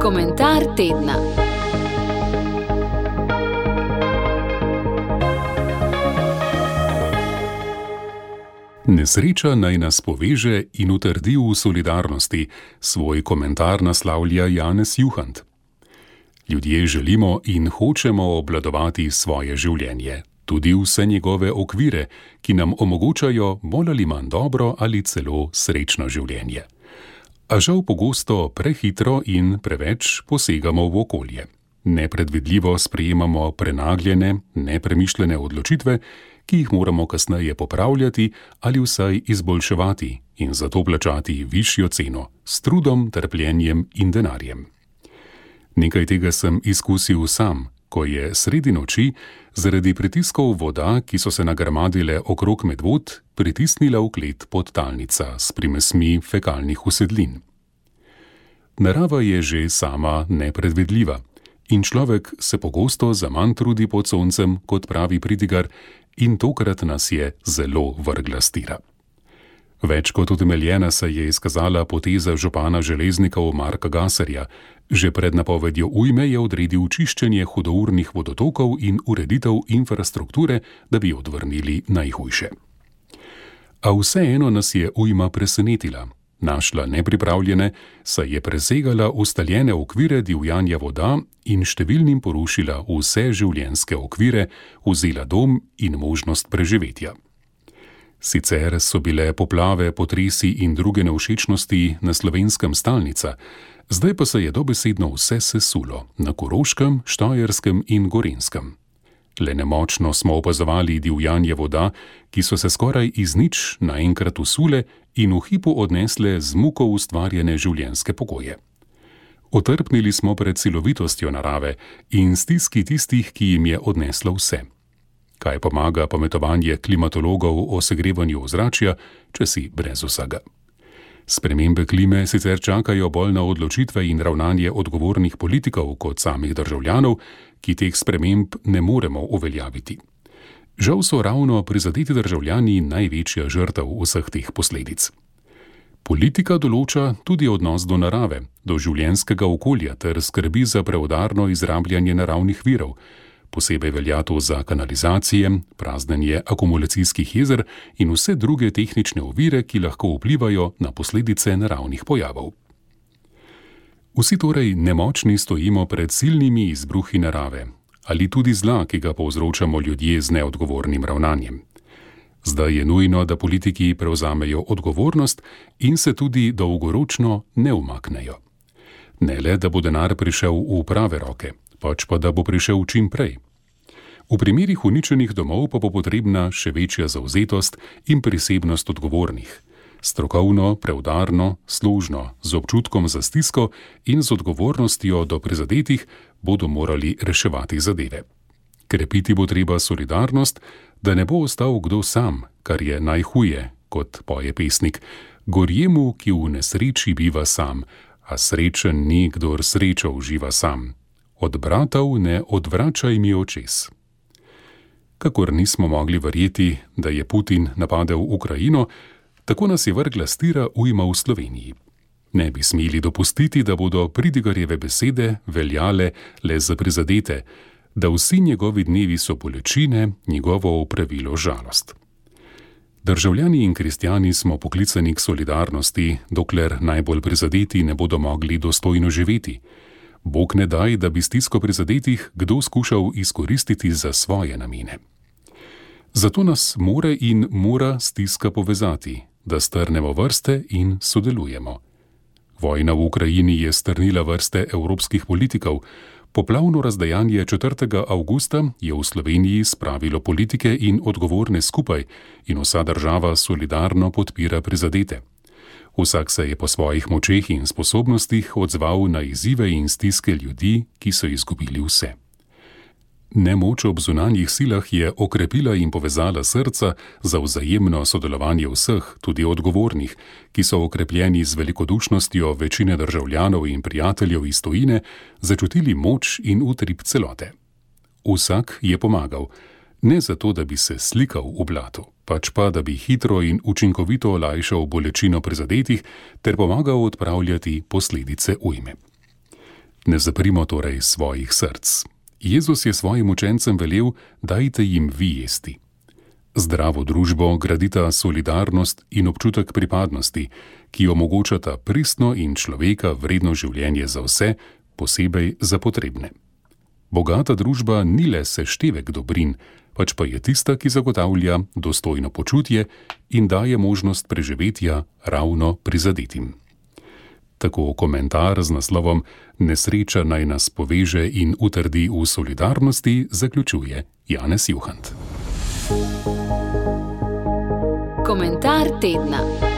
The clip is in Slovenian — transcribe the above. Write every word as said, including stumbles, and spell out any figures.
Komentar tedna. Nesreča naj nas poveže in utrdi v solidarnosti, svoj komentar naslavlja Janez Juhant. Ljudje želimo in hočemo obvladovati svoje življenje, tudi vse njegove okvire, ki nam omogočajo bolj ali manj dobro ali celo srečno življenje. A žal pogosto prehitro in preveč posegamo v okolje. Nepredvidljivo sprejemamo prenagljene, nepremišljene odločitve, ki jih moramo kasneje popravljati ali vsaj izboljševati in zato plačati višjo ceno s trudom, trpljenjem in denarjem. Nekaj tega sem izkusil sam, ko je sredi noči zaradi pritiskov voda, ki so se nagrmadile okrog Medvod, pritisnila v klet podtalnica s primesmi fekalnih usedlin. Narava je že sama nepredvidljiva in človek se pogosto zaman trudi pod soncem, kot pravi pridigar, in tokrat nas je zelo vrgla s tira. Več kot utemeljena se je izkazala poteza župana Železnikov Marka Gaserja. Že pred napovedjo ujme je odredil čiščenje hudournih vodotokov in ureditev infrastrukture, da bi odvrnili najhujše. A vseeno nas je ujma presenetila. Našla nepripravljene, saj je presegala ustaljene okvire divjanja voda in številnim porušila vse življenjske okvire, vzela dom in možnost preživetja. Sicer so bile poplave, potresi in druge nevšečnosti na Slovenskem stalnica, zdaj pa se je dobesedno vse sesulo na Koroškem, Štajerskem in Gorenjskem. Le nemočno smo opazovali divjanje voda, ki so se skoraj iz nič naenkrat usule in v hipu odnesle z muko ustvarjene življenjske pogoje. Otrpnili smo pred silovitostjo narave in stiski tistih, ki jim je odneslo vse. Kaj pomaga pametovanje klimatologov o segrevanju ozračja, če si brez vsega? Spremembe klime sicer čakajo bolj na odločitve in ravnanje odgovornih politikov kot samih državljanov, ki teh sprememb ne moremo uveljaviti. Žal so ravno prizadeti državljani največja žrtev vseh teh posledic. Politika določa tudi odnos do narave, do življenjskega okolja ter skrbi za preudarno izrabljanje naravnih virov. Posebej velja to za kanalizacije, praznjenje akumulacijskih jezer in vse druge tehnične ovire, ki lahko vplivajo na posledice naravnih pojavov. Vsi torej nemočni stojimo pred silnimi izbruhi narave ali tudi zla, ki ga povzročamo ljudje z neodgovornim ravnanjem. Zdaj je nujno, da politiki prevzamejo odgovornost in se tudi dolgoročno ne umaknejo. Ne le, da bo denar prišel v prave roke, pač pa da bo prišel čim prej. V primerih uničenih domov pa bo potrebna še večja zavzetost in prisebnost odgovornih. Strokovno, preudarno, služno, z občutkom za stisko in z odgovornostjo do prizadetih bodo morali reševati zadeve. Krepiti bo treba solidarnost, da ne bo ostal kdo sam, kar je najhuje, kot poje pesnik, gorjemu, ki v nesreči biva sam, a srečen ni, kdor srečo uživa sam. Od bratov ne odvračaj mi očes. Kakor nismo mogli verjeti, da je Putin napadel Ukrajino, tako nas je vrgla s tira ujma v Sloveniji. Ne bi smeli dopustiti, da bodo pridigarjeve besede veljale le za prizadete, da vsi njegovi dnevi so bolečine, njegovo opravilo žalost. Državljani in kristjani smo poklicani k solidarnosti, dokler najbolj prizadeti ne bodo mogli dostojno živeti. Bog ne daj, da bi stisko prizadetih kdo skušal izkoristiti za svoje namene. Zato nas more in mora stiska povezati, da strnemo vrste in sodelujemo. Vojna v Ukrajini je strnila vrste evropskih politikov. Poplavno razdejanje četrtega avgusta je v Sloveniji spravilo politike in odgovorne skupaj in vsa država solidarno podpira prizadete. Vsak se je po svojih močeh in sposobnostih odzval na izzive in stiske ljudi, ki so izgubili vse. Nemoč ob zunanjih silah je okrepila in povezala srca za vzajemno sodelovanje vseh, tudi odgovornih, ki so okrepljeni z velikodušnostjo večine državljanov in prijateljev iz tujine začutili moč in utrip celote. Vsak je pomagal, ne zato, da bi se slikal v blatu, pač pa, da bi hitro in učinkovito olajšal bolečino prizadetih ter pomagal odpravljati posledice ujme. Ne zaprimo torej svojih src. Jezus je svojim učencem velel: dajte jim vi jesti. Zdravo družbo gradita solidarnost in občutek pripadnosti, ki omogočata pristno in človeka vredno življenje za vse, posebej za potrebne. Bogata družba ni le seštevek dobrin, pač pa je tista, ki zagotavlja dostojno počutje in daje možnost preživetja ravno prizadetim. Tako komentar z naslovom Nesreča naj nas poveže in utrdi v solidarnosti zaključuje Janez Juhant. Komentar tedna.